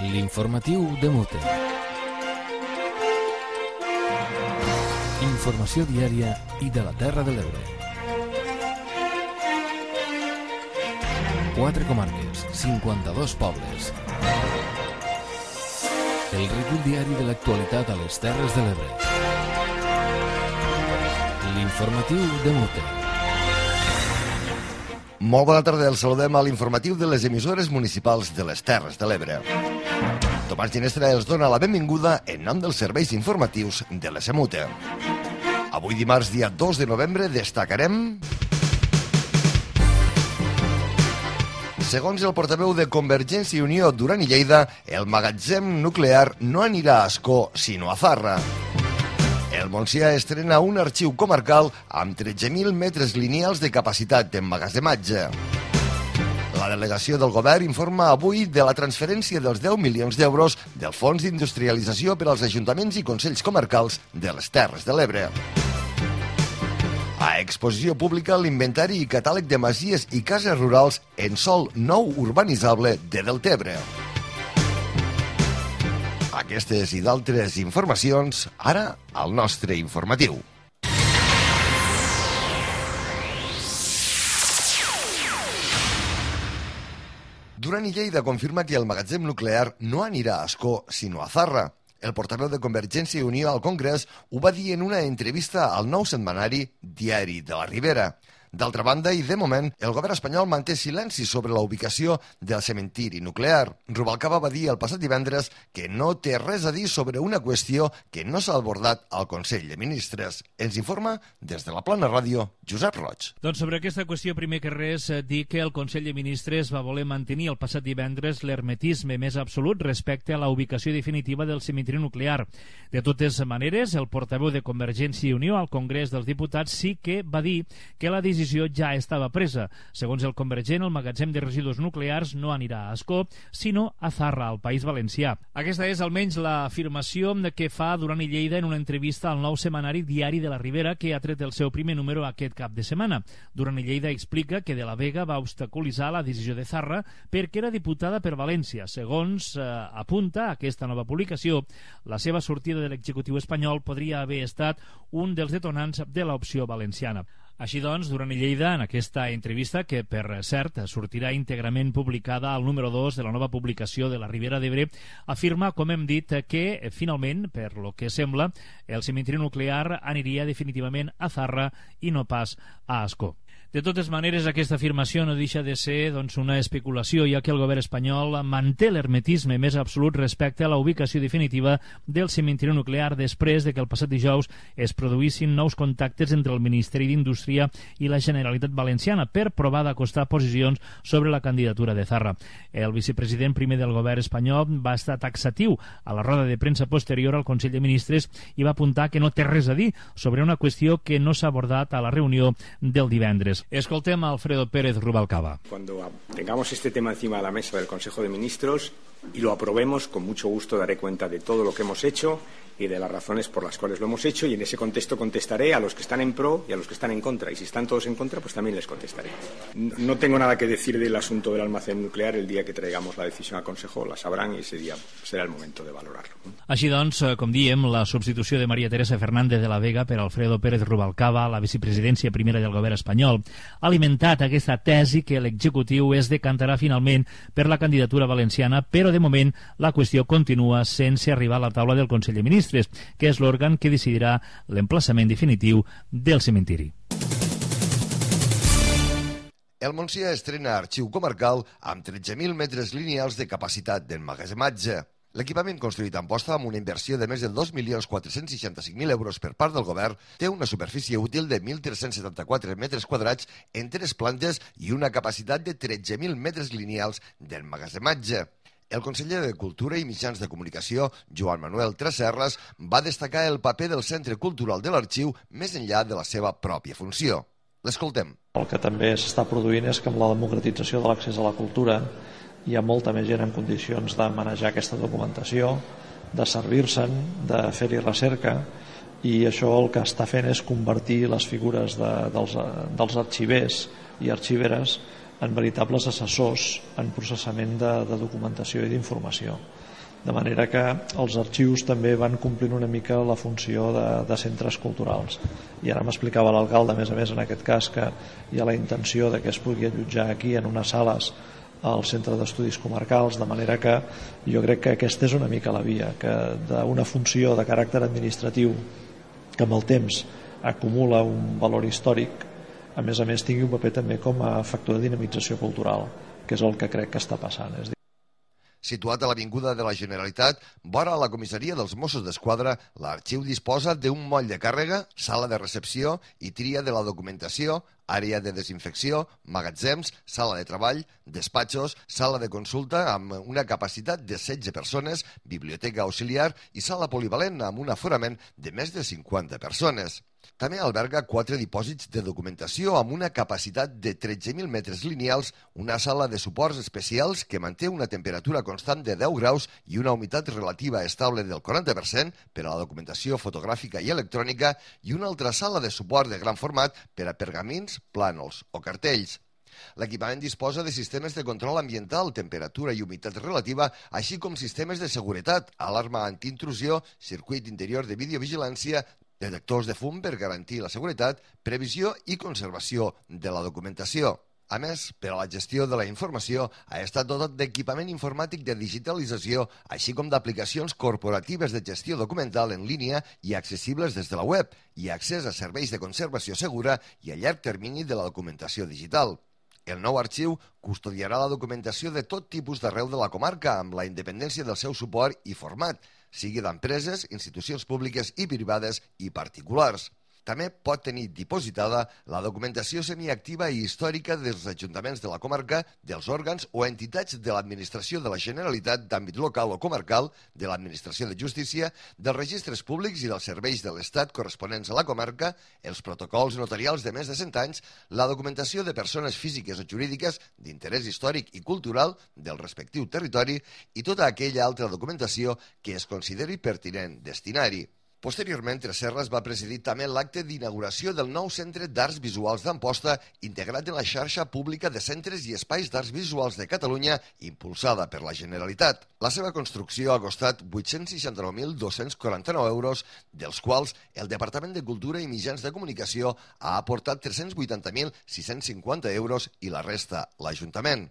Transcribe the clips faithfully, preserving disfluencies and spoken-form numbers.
L'informatiu de Mute. Informació diària i de la Terra de l'Ebre. Quatre comarques, cinquanta-dos pobles. El recull diari de l'actualitat a les Terres de l'Ebre. L'informatiu de Mute. Molt bona tarda, els saludem a l'informatiu de les emissores municipals de les Terres de l'Ebre. Tomàs Ginestra els dona la benvinguda en nom dels serveis informatius de la SEMUTE. Avui dimarts, dia dos de novembre, destacarem... Segons el portaveu de Convergència i Unió, Duran i Lleida, el magatzem nuclear no anirà a Ascó, sinó a Zarra. El Montsià estrena un arxiu comarcal amb tretze mil metres lineals de capacitat d'emmagatzematge. La delegació del govern informa avui de la transferència dels deu milions d'euros del Fons d'Industrialització per als ajuntaments i consells comarcals de les Terres de l'Ebre. A exposició pública l'inventari i catàleg de masies i cases rurals en sòl nou urbanitzable de Deltebre. Aquestes i d'altres informacions, ara al nostre informatiu. Duran i Lleida confirma que el magatzem nuclear no anirà a Ascó, sinó a Zarra. El portaveu de Convergència i Unió al Congrés ho va dir en una entrevista al nou setmanari Diari de la Ribera. D'altra banda, i de moment, el govern espanyol manté silenci sobre la ubicació del cementiri nuclear. Rubalcaba va dir el passat divendres que no té res a dir sobre una qüestió que no s'ha abordat al Consell de Ministres. Ens informa des de la Plana Ràdio, Josep Roig. Doncs sobre aquesta qüestió, primer que res, dir que el Consell de Ministres va voler mantenir el passat divendres l'hermetisme més absolut respecte a la ubicació definitiva del cementiri nuclear. De totes maneres, el portaveu de Convergència i Unió al Congrés dels Diputats sí que va dir que la decisió ja estava presa. Segons el convergent, el magatzem de residus nuclears no anirà a Ascó, sinó a Zarra, al País Valencià. Aquesta és almenys l'afirmació que fa Duran i Lleida en una entrevista al nou setmanari Diari de la Ribera, que ha tret el seu primer número aquest cap de setmana. Duran i Lleida explica que De la Vega va obstaculitzar la decisió de Zarra perquè era diputada per València. Segons eh, apunta aquesta nova publicació, la seva sortida de l'executiu espanyol podria haver estat un dels detonants de l'opció valenciana. Així doncs, Duran i Lleida, en aquesta entrevista, que per cert sortirà íntegrament publicada al número dos de la nova publicació de la Ribera d'Ebre, afirma, com hem dit, que finalment, per lo que sembla, el cementiri nuclear aniria definitivament a Zarra i no pas a Ascó. De totes maneres, aquesta afirmació no deixa de ser doncs, una especulació, ja que el govern espanyol manté l'hermetisme més absolut respecte a la ubicació definitiva del cementiri nuclear després de que el passat dijous es produïssin nous contactes entre el Ministeri d'Indústria i la Generalitat Valenciana per provar d'acostar posicions sobre la candidatura de Zarra. El vicepresident primer del govern espanyol va estar taxatiu a la roda de premsa posterior al Consell de Ministres i va apuntar que no té res a dir sobre una qüestió que no s'ha abordat a la reunió del divendres. Escoltem a Alfredo Pérez Rubalcaba. Cuando tengamos este tema encima de la mesa del Consejo de Ministros y lo aprobemos, con mucho gusto daré cuenta de todo lo que hemos hecho y de las razones por las cuales lo hemos hecho, y en ese contexto contestaré a los que están en pro y a los que están en contra, y si están todos en contra, pues también les contestaré. No tengo nada que decir del asunto del almacén nuclear. El día que traigamos la decisión al Consejo la sabrán y ese día será el momento de valorarlo. Així doncs, com diem, la substitució de María Teresa Fernández de la Vega per Alfredo Pérez Rubalcaba a la vicepresidència primera del govern espanyol ha alimentat aquesta tesi que l'executiu es decantarà finalment per la candidatura valenciana, però de moment la qüestió continua sense arribar a la taula del Consell de Ministres, que és l'òrgan que decidirà l'emplaçament definitiu del cementiri. El Montsià estrena arxiu comarcal amb tretze mil metres lineals de capacitat d'emmagatzematge. L'equipament construït a Amposta amb una inversió de més de dos milions quatre-cents seixanta-cinc mil euros per part del govern té una superfície útil de mil tres-cents setanta-quatre metres quadrats en tres plantes i una capacitat de tretze mil metres lineals d'emmagatzematge. El conseller de Cultura i Mitjans de Comunicació, Joan Manuel Tresserras, va destacar el paper del Centre Cultural de l'Arxiu més enllà de la seva pròpia funció. L'escoltem. El que també s'està produint és que amb la democratització de l'accés a la cultura hi ha molta més gent en condicions de manejar aquesta documentació, de servir-se'n, de fer-hi recerca, i això el que està fent és convertir les figures de, dels, dels arxivers i arxiveres en veritables assessors en processament de, de documentació i d'informació. De manera que els arxius també van complint una mica la funció de, de centres culturals. I ara m'explicava l'alcalde, a més a més, en aquest cas, que hi ha la intenció de que es pugui allotjar aquí en unes sales al Centre d'Estudis Comarcals, de manera que jo crec que aquesta és una mica la via, que d'una funció de caràcter administratiu que amb el temps acumula un valor històric, a més a més tingui un paper també com a factor de dinamització cultural, que és el que crec que està passant. És dir, Situat a l'Avinguda de la Generalitat, vora la comissaria dels Mossos d'Esquadra, l'arxiu disposa d'un moll de càrrega, sala de recepció i tria de la documentació, àrea de desinfecció, magatzems, sala de treball, despatxos, sala de consulta amb una capacitat de setze persones, biblioteca auxiliar i sala polivalent amb un aforament de més de cinquanta persones. També alberga quatre dipòsits de documentació amb una capacitat de tretze mil metres lineals, una sala de suports especials que manté una temperatura constant de deu graus i una humitat relativa estable del quaranta per cent per a la documentació fotogràfica i electrònica i una altra sala de suport de gran format per a pergamins, plànols o cartells. L'equipament disposa de sistemes de control ambiental, temperatura i humitat relativa, així com sistemes de seguretat, alarma antiintrusió, circuit interior de videovigilància, detectors de fum per garantir la seguretat, previsió i conservació de la documentació. A més, per a la gestió de la informació, ha estat dotat d'equipament informàtic de digitalització, així com d'aplicacions corporatives de gestió documental en línia i accessibles des de la web, i accés a serveis de conservació segura i a llarg termini de la documentació digital. El nou arxiu custodiarà la documentació de tot tipus d'arreu de la comarca amb la independència del seu suport i format, sigui d'empreses, institucions públiques i privades i particulars. També pot tenir dipositada la documentació semiactiva i històrica dels ajuntaments de la comarca, dels òrgans o entitats de l'administració de la Generalitat d'àmbit local o comarcal, de l'administració de justícia, dels registres públics i dels serveis de l'Estat corresponents a la comarca, els protocols notarials de més de cent anys, la documentació de persones físiques o jurídiques d'interès històric i cultural del respectiu territori i tota aquella altra documentació que es consideri pertinent destinar-hi. Posteriorment, Tresserras va presidir també l'acte d'inauguració del nou Centre d'Arts Visuals d'Amposta, integrat en la xarxa pública de centres i espais d'arts visuals de Catalunya, impulsada per la Generalitat. La seva construcció ha costat vuit-cents seixanta-nou mil dos-cents quaranta-nou euros, dels quals el Departament de Cultura i Mitjans de Comunicació ha aportat tres-cents vuitanta mil sis-cents cinquanta euros i la resta l'Ajuntament.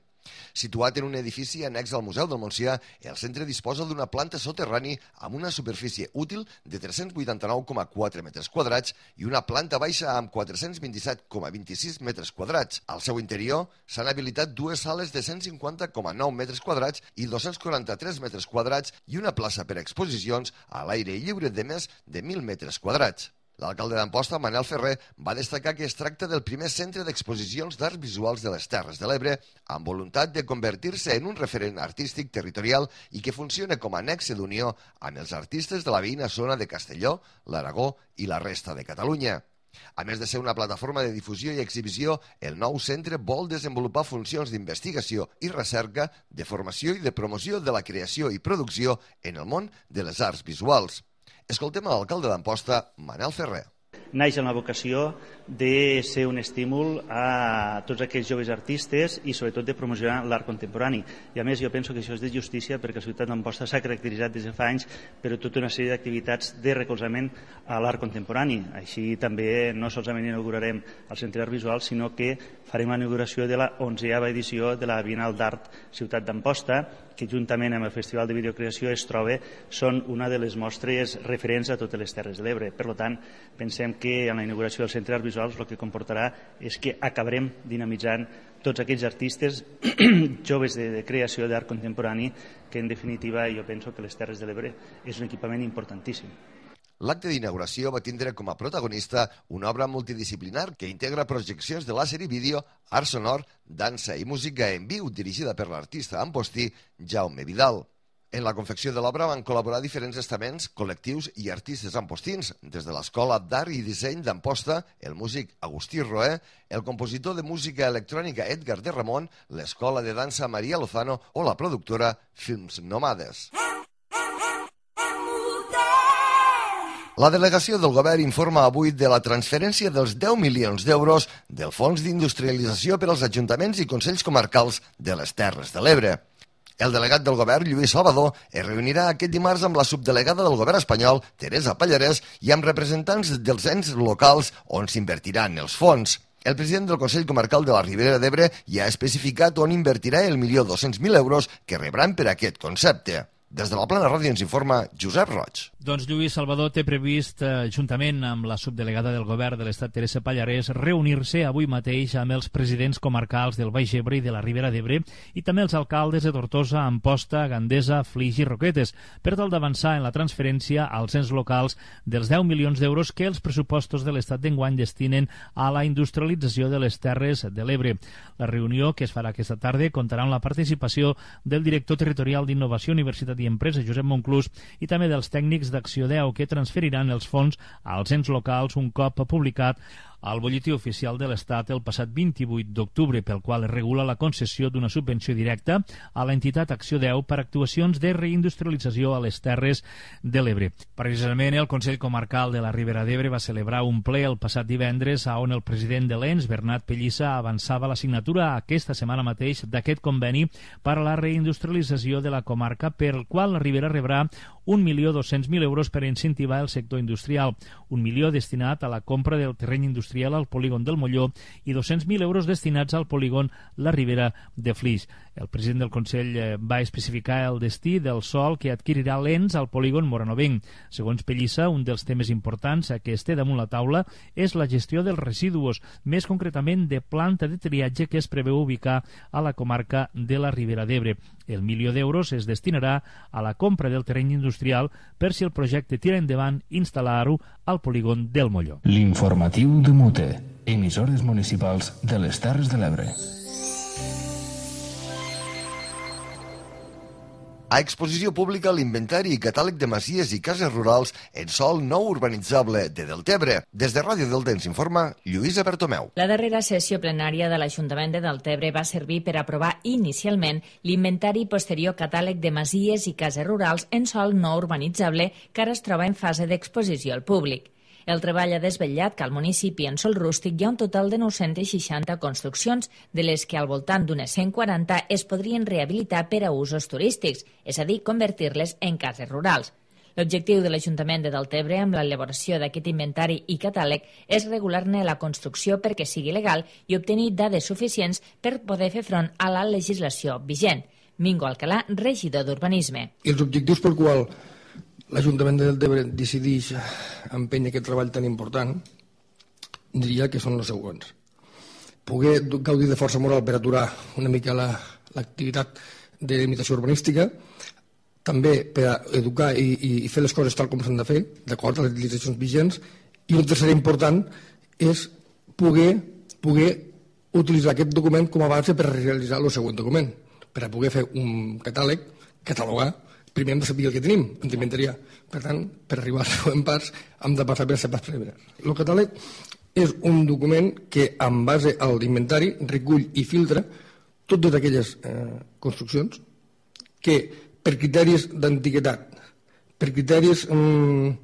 Situat en un edifici annex al Museu del Montsià, el centre disposa d'una planta soterrani amb una superfície útil de tres-cents vuitanta-nou coma quatre metres quadrats i una planta baixa amb quatre-cents vint-i-set coma vint-i-sis metres quadrats. Al seu interior s'han habilitat dues sales de cent cinquanta coma nou metres quadrats i dos-cents quaranta-tres metres quadrats i una plaça per a exposicions a l'aire lliure de més de mil metres quadrats. L'alcalde d'Amposta, Manel Ferrer, va destacar que es tracta del primer centre d'exposicions d'arts visuals de les Terres de l'Ebre amb voluntat de convertir-se en un referent artístic territorial i que funcione com a nexe d'unió amb els artistes de la veïna zona de Castelló, l'Aragó i la resta de Catalunya. A més de ser una plataforma de difusió i exhibició, el nou centre vol desenvolupar funcions d'investigació i recerca, de formació i de promoció de la creació i producció en el món de les arts visuals. Escoltem a l'alcalde d'Amposta, Manel Ferrer. Naix amb la vocació de ser un estímul a tots aquells joves artistes i sobretot de promocionar l'art contemporani. I a més jo penso que això és de justícia perquè la ciutat d'Amposta s'ha caracteritzat des de fa anys per tota una sèrie d'activitats de recolzament a l'art contemporani. Així també no solament inaugurarem el Centre d'Art Visual, sinó que farem la inauguració de la onzeava edició de la Bienal d'Art Ciutat d'Amposta, que juntament amb el Festival de Videocreació es troba, són una de les mostres referents a totes les Terres de l'Ebre. Per tant, pensem que en la inauguració del Centre d'Art Visuals el que comportarà és que acabarem dinamitzant tots aquells artistes joves de, de creació d'art contemporani que en definitiva jo penso que les Terres de l'Ebre és un equipament importantíssim. L'acte d'inauguració va tindre com a protagonista una obra multidisciplinar que integra projeccions de làser i vídeo, art sonor, dansa i música en viu dirigida per l'artista ampostí Jaume Vidal. En la confecció de l'obra van col·laborar diferents estaments, col·lectius i artistes ampostins, des de l'Escola d'Art i Disseny d'Amposta, el músic Agustí Roé, el compositor de música electrònica Edgar de Ramon, l'Escola de Dansa Maria Lozano o la productora Films Nomades. La delegació del govern informa avui de la transferència dels deu milions d'euros del Fons d'Industrialització per als ajuntaments i consells comarcals de les Terres de l'Ebre. El delegat del govern, Lluís Salvador, es reunirà aquest dimarts amb la subdelegada del govern espanyol, Teresa Pallarès, i amb representants dels ens locals on s'invertiran els fons. El president del Consell Comarcal de la Ribera d'Ebre ja ha especificat on invertirà el milió dos-cents mil euros que rebran per aquest concepte. Des de la Plana Ràdio ens informa Josep Roig. Doncs Lluís Salvador té previst, eh, juntament amb la subdelegada del govern de l'Estat, Teresa Pallarès, reunir-se avui mateix amb els presidents comarcals del Baix Ebre i de la Ribera d'Ebre i també els alcaldes de Tortosa, Amposta, Gandesa, Flix i Roquetes, per tal d'avançar en la transferència als ens locals dels deu milions d'euros que els pressupostos de l'Estat d'enguany destinen a la industrialització de les Terres de l'Ebre. La reunió, que es farà aquesta tarda, comptarà amb la participació del director territorial d'Innovació, Universitat i Empresa, Josep Monclús, i també dels tècnics d'Acció deu, que transferiran els fons als ens locals un cop publicat al Butlletí Oficial de l'Estat el passat vint-i-vuit d'octubre, pel qual es regula la concessió d'una subvenció directa a l'entitat Acció deu per actuacions de reindustrialització a les Terres de l'Ebre. Precisament el Consell Comarcal de la Ribera d'Ebre va celebrar un ple el passat divendres on el president de l'E N S, Bernat Pellissa, avançava la signatura aquesta setmana mateix d'aquest conveni per a la reindustrialització de la comarca, per el qual la Ribera rebrà un milió dos-cents mil euros per incentivar el sector industrial, un milió destinat a la compra del terreny industrial al polígon del Molló i dos-cents mil euros destinats al polígon La Ribera de Flix. El president del Consell va especificar el destí del sòl que adquirirà l'E N S al polígon Moranovenc. Segons Pellissa, un dels temes importants que es té damunt la taula és la gestió dels residus, més concretament de planta de triatge que es preveu ubicar a la comarca de la Ribera d'Ebre. El milió d'euros es destinarà a la compra del terreny industrial per, si el projecte tira endavant, instal·lar-ho al polígon del Molló. L'informatiu de Mute, emissores municipals de les Terres de l'Ebre. A exposició pública l'inventari i catàleg de masies i cases rurals en sòl no urbanitzable de Deltebre. Des de Ràdio Delta ens informa Lluïsa Bertomeu. La darrera sessió plenària de l'Ajuntament de Deltebre va servir per aprovar inicialment l'inventari i posterior catàleg de masies i cases rurals en sòl no urbanitzable que ara es troba en fase d'exposició al públic. El treball ha desvetllat que al municipi en sòl rústic hi ha un total de nou-centes seixanta construccions, de les que al voltant d'unes cent quaranta es podrien rehabilitar per a usos turístics, és a dir, convertir-les en cases rurals. L'objectiu de l'Ajuntament de Deltebre amb l'elaboració d'aquest inventari i catàleg és regular-ne la construcció perquè sigui legal i obtenir dades suficients per poder fer front a la legislació vigent. Mingo Alcalà, regidor d'Urbanisme. I els objectius pel qual l'Ajuntament de Deltebre decideix empènyer aquest treball tan important, diria que són els següents. Poder gaudir de força moral per aturar una mica l'activitat la, de limitació urbanística, també per a educar i, i fer les coses tal com s'han de fer, d'acord a les legislacions vigents, i un tercer important és poder, poder utilitzar aquest document com a base per realitzar el següent document, per a poder fer un catàleg, catalogar. Primer hem de saber el que tenim, hem d'inventariar. Per tant, per arribar als següents parts hem de passar per les parts preliminars. El catàleg és un document que, en base a l'inventari, recull i filtra totes aquelles eh, construccions que, per criteris d'antiguitat, per criteris mm,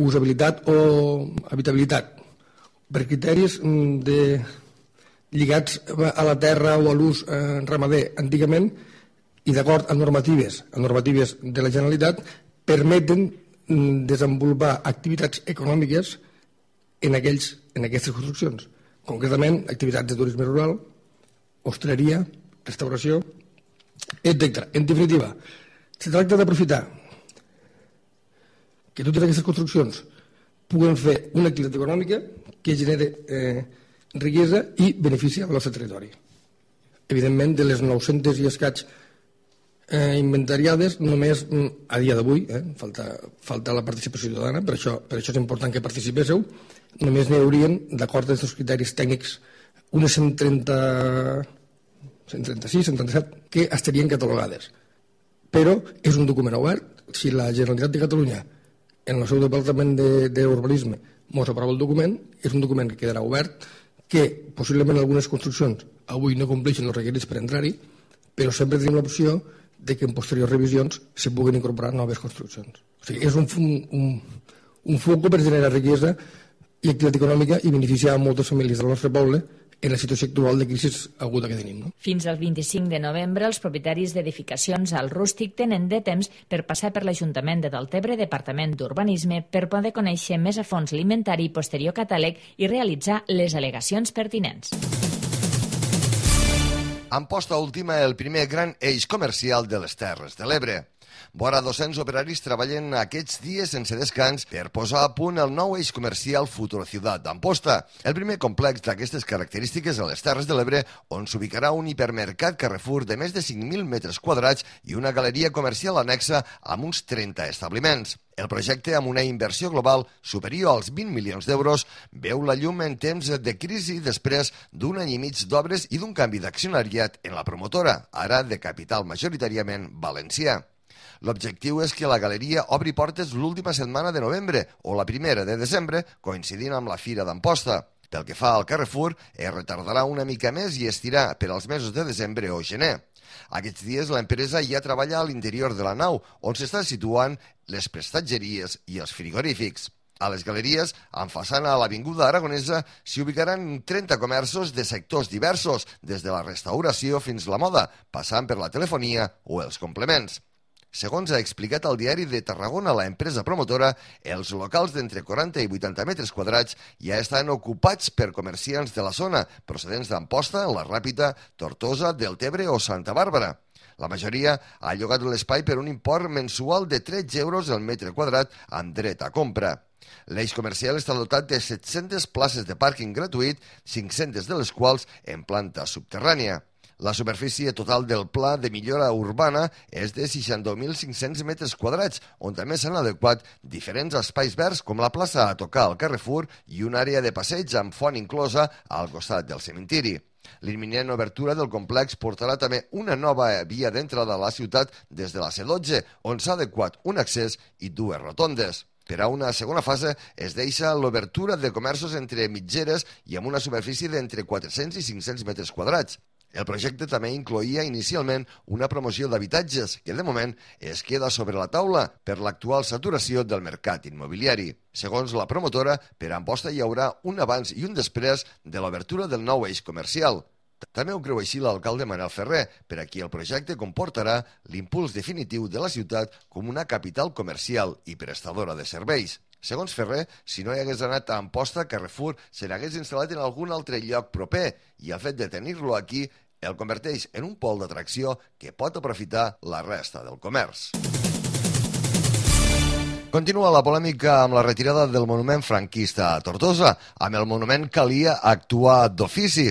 d'usabilitat o habitabilitat, per criteris mm, de, lligats a la terra o a l'ús eh, ramader antigament, i d'acord amb normatives, amb normatives de la Generalitat, permeten desenvolupar activitats econòmiques en, aquells, en aquestes construccions. Concretament, activitats de turisme rural, hostaleria, restauració, etcètera. En definitiva, se tracta d'aprofitar que totes aquestes construccions puguen fer una activitat econòmica que genere eh, riquesa i benefici al nostre territori. Evidentment, de les nou-centes i escaig eh, inventariades, només a dia d'avui, eh, falta, falta la participació ciutadana, per això, per això és important que participéssiu, només n'hi haurien, d'acord amb aquests criteris tècnics, unes cent trenta, cent trenta-sis, cent trenta-set, que estarien catalogades. Però és un document obert. Si la Generalitat de Catalunya, en el seu Departament d'Urbanisme, mos aprova el document, és un document que quedarà obert, que possiblement algunes construccions avui no compleixen els requerits per entrar-hi, però sempre tenim l'opció de que en posteriors revisions se puguen incorporar noves construccions. O sigui, és un, un, un foc per generar riquesa i activitat econòmica i beneficiar a moltes famílies del nostre poble en la situació actual de crisi aguda que tenim. No? Fins al vint-i-cinc de novembre, els propietaris d'edificacions al rústic tenen de temps per passar per l'Ajuntament de Deltebre, Departament d'Urbanisme, per poder conèixer més a fons l'inventari i posterior catàleg i realitzar les al·legacions pertinents. Amposta última el primer gran eix comercial de les Terres de l'Ebre. Vora dos-cents operaris treballen aquests dies sense descans per posar a punt el nou eix comercial Futuro Ciudad d'Amposta, el primer complex d'aquestes característiques a les Terres de l'Ebre, on s'ubicarà un hipermercat Carrefour de més de cinc mil metres quadrats i una galeria comercial anexa amb uns trenta establiments. El projecte, amb una inversió global superior als vint milions d'euros, veu la llum en temps de crisi després d'un any i mig d'obres i d'un canvi d'accionariat en la promotora, ara de capital majoritàriament valencià. L'objectiu és que la galeria obri portes l'última setmana de novembre o la primera de desembre, coincidint amb la Fira d'Amposta. Pel que fa al Carrefour, es retardarà una mica més i estirà per als mesos de desembre o gener. Aquests dies l'empresa ja treballa a l'interior de la nau, on s'estan situant les prestatgeries i els frigorífics. A les galeries, amb façana a l'Avinguda Aragonesa, s'hi ubicaran trenta comerços de sectors diversos, des de la restauració fins la moda, passant per la telefonia o els complements. Segons ha explicat al Diari de Tarragona la empresa promotora, els locals d'entre quaranta i vuitanta metres quadrats ja estan ocupats per comerciants de la zona, procedents d'Amposta, La Ràpita, Tortosa, Deltebre o Santa Bàrbara. La majoria ha llogat l'espai per un import mensual de tretze euros el metre quadrat amb dret a compra. L'eix comercial està dotat de set-centes places de pàrquing gratuït, cinc-centes de les quals en planta subterrània. La superfície total del pla de millora urbana és de seixanta mil cinc-cents metres quadrats, on també s'han adequat diferents espais verds com la plaça a tocar al Carrefour i una àrea de passeig amb font inclosa al costat del cementiri. L'imminent obertura del complex portarà també una nova via d'entrada a la ciutat des de la C dotze, on s'ha adequat un accés i dues rotondes. Per a una segona fase es deixa l'obertura de comerços entre mitgeres i amb una superfície d'entre quatre-cents i cinc-cents metres quadrats. El projecte també incloïa inicialment una promoció d'habitatges que, de moment, es queda sobre la taula per l'actual saturació del mercat immobiliari. Segons la promotora, per a Amposta hi haurà un abans i un després de l'obertura del nou eix comercial. També ho creu així l'alcalde Manel Ferrer, per a qui el projecte comportarà l'impuls definitiu de la ciutat com una capital comercial i prestadora de serveis. Segons Ferrer, si no hi hagués anat a Amposta, Carrefour se n'hagués instal·lat en algun altre lloc proper i el fet de tenir-lo aquí el converteix en un pol d'atracció que pot aprofitar la resta del comerç. Continua la polèmica amb la retirada del monument franquista a Tortosa. Amb el monument calia actuar d'ofici.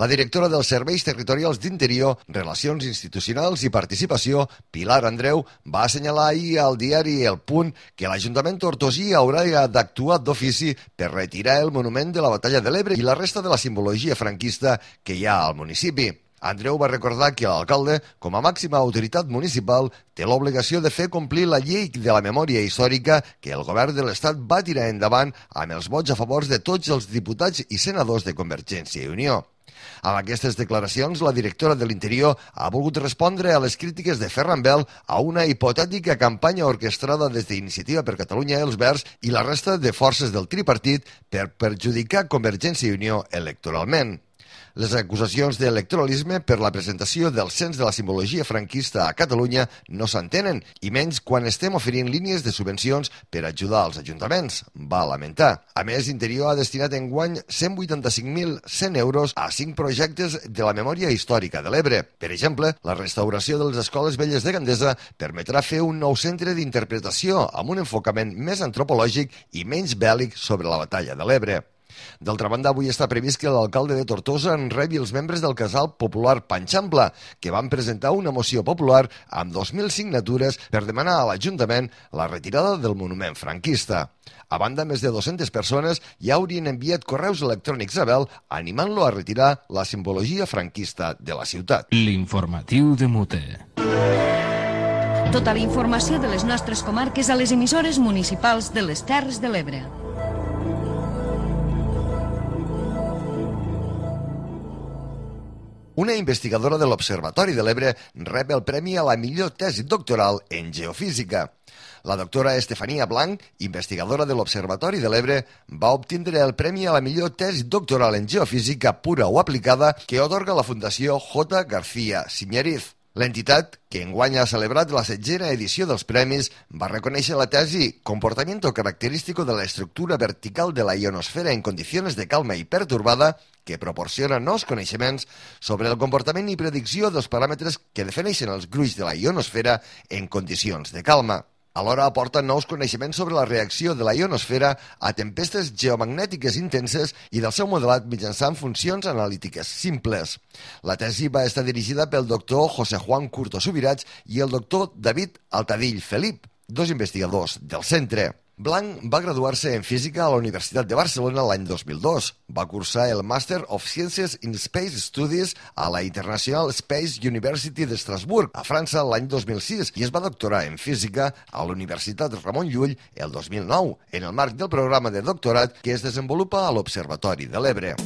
La directora dels Serveis Territorials d'Interior, Relacions Institucionals i Participació, Pilar Andreu, va assenyalar ahir al diari El Punt que l'Ajuntament tortosí haurà d'actuar d'ofici per retirar el monument de la Batalla de l'Ebre i la resta de la simbologia franquista que hi ha al municipi. Andreu va recordar que l'alcalde, com a màxima autoritat municipal, té l'obligació de fer complir la llei de la memòria històrica que el govern de l'Estat va tirar endavant amb els vots a favor de tots els diputats i senadors de Convergència i Unió. Amb aquestes declaracions, la directora de l'Interior ha volgut respondre a les crítiques de Ferran Bel a una hipotètica campanya orquestrada des d'Iniciativa per Catalunya els Verds i la resta de forces del tripartit per perjudicar Convergència i Unió electoralment. Les acusacions d'electoralisme per la presentació del cens de la simbologia franquista a Catalunya no s'entenen, i menys quan estem oferint línies de subvencions per ajudar als ajuntaments, va lamentar. A més, Interior ha destinat enguany cent vuitanta-cinc mil cent euros a cinc projectes de la memòria històrica de l'Ebre. Per exemple, la restauració de les escoles velles de Gandesa permetrà fer un nou centre d'interpretació amb un enfocament més antropològic i menys bèl·lic sobre la batalla de l'Ebre. D'altra banda, avui està previst que l'alcalde de Tortosa en rebi els membres del casal popular Panxampla, que van presentar una moció popular amb dos mil signatures per demanar a l'Ajuntament la retirada del monument franquista. A banda, més de dues-centes persones ja haurien enviat correus electrònics a Bel animant-lo a retirar la simbologia franquista de la ciutat. L'informatiu de Mute. Tota la informació de les nostres comarques a les emissores municipals de les Terres de l'Ebre. Una investigadora de l'Observatori de l'Ebre rep el premi a la millor tesi doctoral en geofísica. La doctora Estefania Blanc, investigadora de l'Observatori de l'Ebre, va obtindre el premi a la millor tesi doctoral en geofísica pura o aplicada que atorga la Fundació J. García Siñeriz. L'entitat, que enguany ha celebrat la setzena edició dels premis, va reconèixer la tesi Comportamiento característico de la estructura vertical de la ionosfera en condiciones de calma i perturbada, que proporciona nous coneixements sobre el comportament i predicció dels paràmetres que defineixen els gruix de la ionosfera en condicions de calma. Alhora aporta nous coneixements sobre la reacció de la ionosfera a tempestes geomagnètiques intenses i del seu modelat mitjançant funcions analítiques simples. La tesi va estar dirigida pel doctor José Juan Curto Subirats i el doctor David Altadill Felip, dos investigadors del centre. Blanc va graduar-se en física a la Universitat de Barcelona l'any dos mil dos. Va cursar el Master of Sciences in Space Studies a la International Space University d'Estrasburg, a França, l'any dos mil sis, i es va doctorar en física a la Universitat Ramon Llull el dos mil nou, en el marc del programa de doctorat que es desenvolupa a l'Observatori de l'Ebre.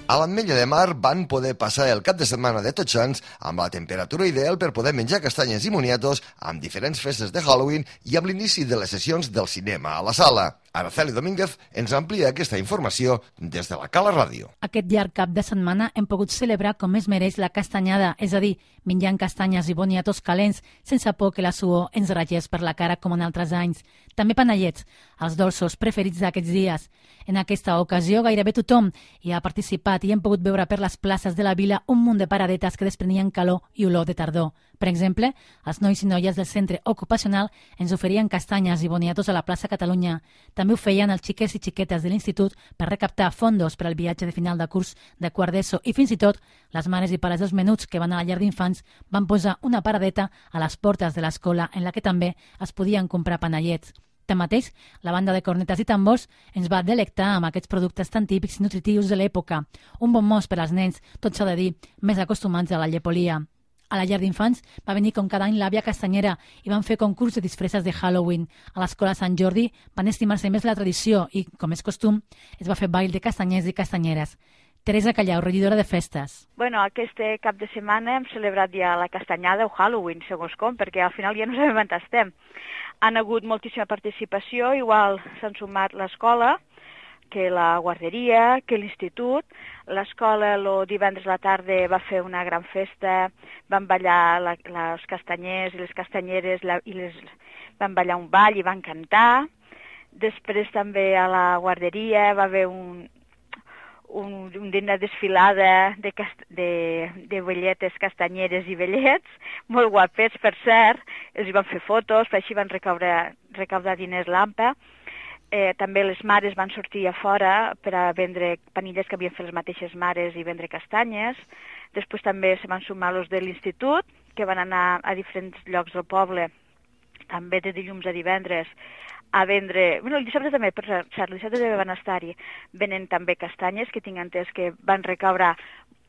A l'Ametlla de Mar van poder passar el cap de setmana de Tots Sants amb la temperatura ideal per poder menjar castanyes i moniatos amb diferents festes de Halloween i amb l'inici de les sessions del cinema a la sala. Araceli Domínguez ens amplia aquesta informació des de la Cala Ràdio. Aquest llarg cap de setmana hem pogut celebrar com es mereix la castanyada, és a dir, menjant castanyes i boniatos calents sense por que la suor ens ratllés per la cara com en altres anys. També panellets, els dolços preferits d'aquests dies. En aquesta ocasió gairebé tothom hi ha participat i hem pogut veure per les places de la vila un munt de paradetes que desprenien calor i olor de tardor. Per exemple, els nois i noies del centre ocupacional ens oferien castanyes i boniatos a la plaça Catalunya. També ho feien els xiquets i xiquetes de l'institut per recaptar fondos per al viatge de final de curs de quart d'ESO i fins i tot les mares i pares dels menuts que van a la llar d'infants van posar una paradeta a les portes de l'escola en la que també es podien comprar panellets. Tanmateix, la banda de cornetes i tambors ens va delectar amb aquests productes tan típics i nutritius de l'època. Un bon mos per als nens, tot s'ha de dir, més acostumats a la llepolia. A la llar d'infants va venir com cada any l'àvia castanyera i van fer concurs de disfresses de Halloween. A l'escola Sant Jordi van estimar-se més la tradició i, com és costum, es va fer ball de castanyers i castanyeres. Teresa Callau, regidora de festes. Bueno, aquest cap de setmana hem celebrat ja la castanyada o Halloween, segons com, perquè al final ja no sabem on estem. Han hagut moltíssima participació, igual s'han sumat l'escola, que la guarderia, que l'institut. L'escola el divendres a la tarda va fer una gran festa, van ballar la, les castanyers i les castanyeres la, i les, van ballar un ball i van cantar. Després també a la guarderia va haver un, un, una desfilada de, cast, de, de velletes, castanyeres i vellets, molt guapets, per cert. Els hi van fer fotos, per així van recaudar, recaudar diners l'AMPA. Eh, també les mares van sortir a fora per a vendre panilles que havien fet les mateixes mares i vendre castanyes. Després també se van sumar els de l'institut, que van anar a diferents llocs del poble, també de dilluns a divendres, a vendre... Bueno, el dissabte també, per cert, el dissabte també van estar-hi venent també castanyes, que tinc entès que van recaure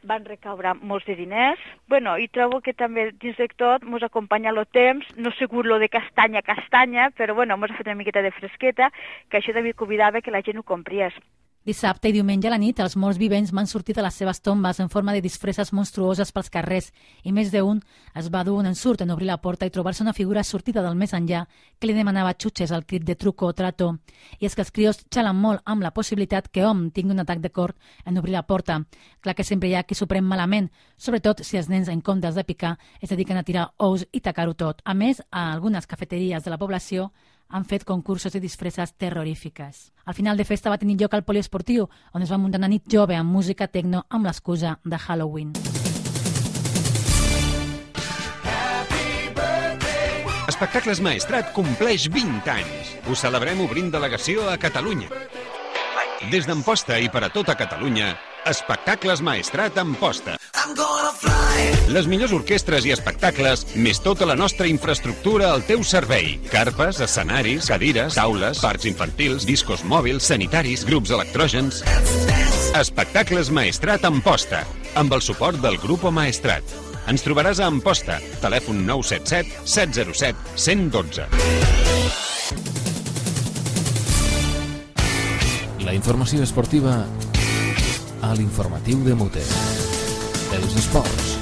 van recaure molts de diners. Bueno, i trobo que també dins de tot ens acompanya el temps, no segur lo de castanya a castanya, però bueno, ens ha fet una miqueta de fresqueta, que això també convidava que la gent ho compries. Dissabte i diumenge a la nit, els morts vivents van sortir de les seves tombes en forma de disfresses monstruoses pels carrers i més d'un es va dur un ensurt en obrir la porta i trobar-se una figura sortida del més enllà que li demanava xutxes al crit de truco o trato. I és que els crios xalen molt amb la possibilitat que hom tingui un atac de cor en obrir la porta. Clar que sempre hi ha qui s'ho pren malament, sobretot si els nens, en comptes de picar, es dediquen a tirar ous i tacar-ho tot. A més, a algunes cafeteries de la població han fet concursos de disfresses terrorífiques. Al final de festa va tenir lloc al poliesportiu, on es va muntar una nit jove amb música tecno amb l'excusa de Halloween. Espectacles Maestrat compleix vint anys. Ho celebrem obrint delegació a Catalunya. Des d'Amposta i per a tota Catalunya, Espectacles Maestrat Amposta. Les millors orquestres i espectacles, més tota la nostra infraestructura al teu servei. Carpes, escenaris, cadires, taules, parcs infantils, discos mòbils, sanitaris, grups electrògens... Espectacles Maestrat Amposta, amb el suport del Grupo Maestrat. Ens trobaràs a Amposta, telèfon nou set set, set zero set, cent dotze. La informació esportiva a l'informatiu de Mute. Els esports.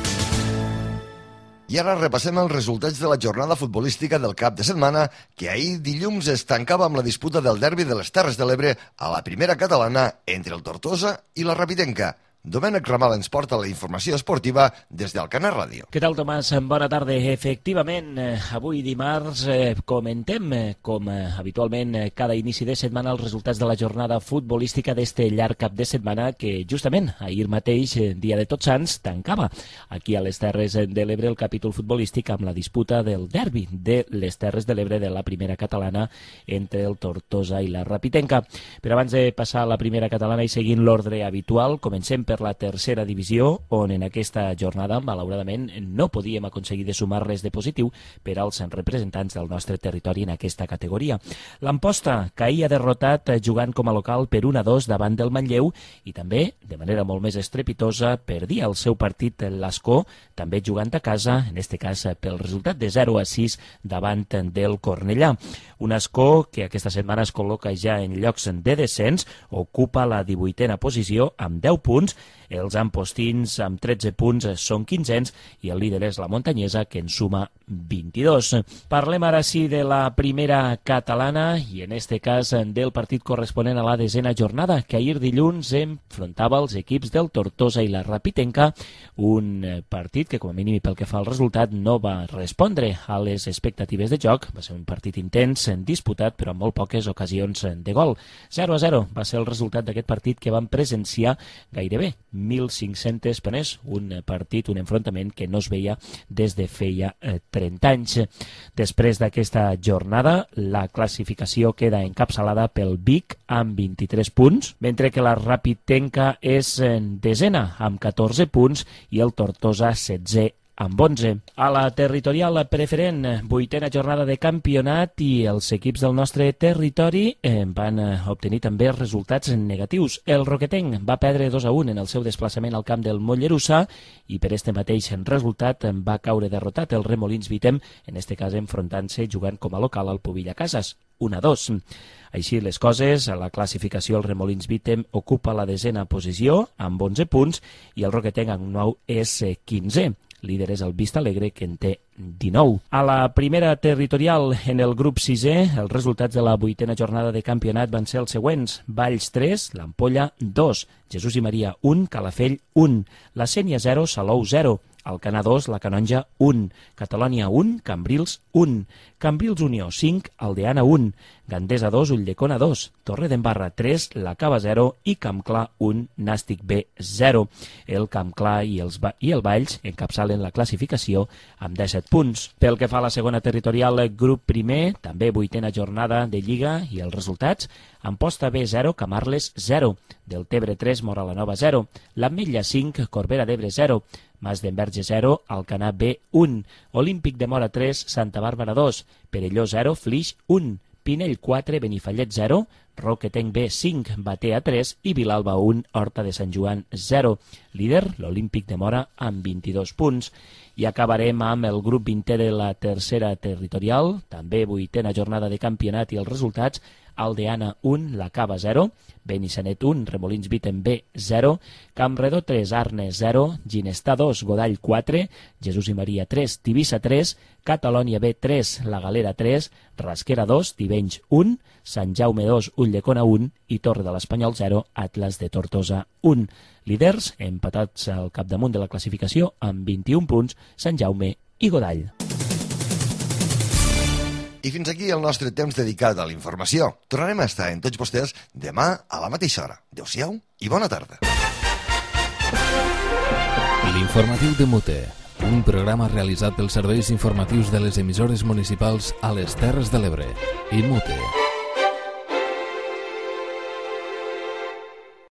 I ara repassem els resultats de la jornada futbolística del cap de setmana, que ahir dilluns es tancava amb la disputa del derbi de les Terres de l'Ebre a la primera catalana entre el Tortosa i la Rapitenca. Domènec Ramal ens porta la informació esportiva des d'Alcanar Ràdio. Què tal, Tomàs? Bona tarda. Efectivament, avui dimarts comentem, com habitualment cada inici de setmana, els resultats de la jornada futbolística d'este llarg cap de setmana que justament ahir mateix, dia de Tots Sants, tancava aquí a les Terres de l'Ebre el capítol futbolístic amb la disputa del derbi de les Terres de l'Ebre de la primera catalana entre el Tortosa i la Rapitenca. Però abans de passar a la primera catalana i seguint l'ordre habitual, comencem per per la tercera divisió, on en aquesta jornada, malauradament, no podíem aconseguir de sumar res de positiu per als representants del nostre territori en aquesta categoria. L'Amposta caïa derrotat jugant com a local per un a dos davant del Manlleu i també, de manera molt més estrepitosa, perdia el seu partit l'Escó, també jugant a casa, en aquest cas pel resultat de zero a sis davant del Cornellà. Un Escó que aquesta setmana es col·loca ja en llocs de descens, ocupa la divuitena posició amb deu punts. Els ampostins amb tretze punts són quinzens i el líder és la Montanyesa, que en suma vint-i-dos. Parlem ara sí de la primera catalana i en este cas del partit corresponent a la desena jornada, que ahir dilluns enfrontava els equips del Tortosa i la Rapitenca, un partit que com a mínim pel que fa al resultat no va respondre a les expectatives de joc. Va ser un partit intens, disputat però amb molt poques ocasions de gol. zero a zero va ser el resultat d'aquest partit que vam presenciar gairebé mil cinc-centes penes, un partit, un enfrontament que no es veia des de feia eh, trenta anys. Després d'aquesta jornada, la classificació queda encapçalada pel Vic amb vint-i-tres punts, mentre que la Rapitenca és en desena amb catorze punts i el Tortosa setzè amb onze. A la territorial preferent, vuitena jornada de campionat i els equips del nostre territori van obtenir també resultats negatius. El Roquetenc va perdre dos a un en el seu desplaçament al camp del Mollerussa i per este mateix resultat va caure derrotat el Remolins Vitem, en este cas enfrontant-se jugant com a local al Pubilla Cases, un a dos. Així les coses, a la classificació el Remolins Vitem ocupa la desena posició amb onze punts i el Roquetenc amb nou és quinzè. Líder és el Vista Alegre, que en té dinou. A la primera territorial, en el grup sisè, els resultats de la vuitena jornada de campionat van ser els següents. Valls tres, l'Ampolla dos, Jesús i Maria un, Calafell un, la Sénia zero, Salou zero, Alcanar dos, la Canonja un, Catalònia un, Cambrils un, Cambrils Unió cinc, Aldeana un, Gandesa dos, Ulldecona dos, Torredembarra tres, la Cava zero i Campclar un, Nàstic B zero. El Campclar i, els, i el Valls encapçalen la classificació amb disset punts. Pel que fa a la segona territorial, grup primer, també vuitena jornada de Lliga i els resultats: Amposta B zero, Camarles zero, Deltebre tres, Moralanova zero, l'Ametlla cinc, Corbera d'Ebre zero, Mas d'Enverge zero, Alcanar B un, Olímpic de Mora tres, Santa Bàrbara dos, Perelló zero, Flix un, Pinell quatre, Benifallet zero, Roquetenc B cinc, Batea tres i Vilalba un, Horta de Sant Joan zero. Líder, l'Olímpic de Mora amb vint-i-dos punts. I acabarem amb el grup vintè de la tercera territorial, també vuitena jornada de campionat i els resultats: Aldeana un, la Cava zero, Benissanet un, Remolins Vitem B zero, Campredó tres, Arnes zero, Ginestà dos, Godall quatre, Jesús i Maria tres, Tivissa tres, Catalònia B tres, La Galera tres, Rasquera dos, Tivenys un, Sant Jaume dos, Ulldecona un i Torre de l'Espanyol zero, Atlas de Tortosa un. Líders empatats al capdamunt de la classificació amb vint-i-un punts, Sant Jaume i Godall. I fins aquí el nostre temps dedicat a la informació. Tornarem a estar en tots vostès demà a la mateixa hora. Adéu-siau i bona tarda. L'informatiu de Mute, un programa realitzat pels serveis informatius de les emissores municipals a les Terres de l'Ebre i Mute.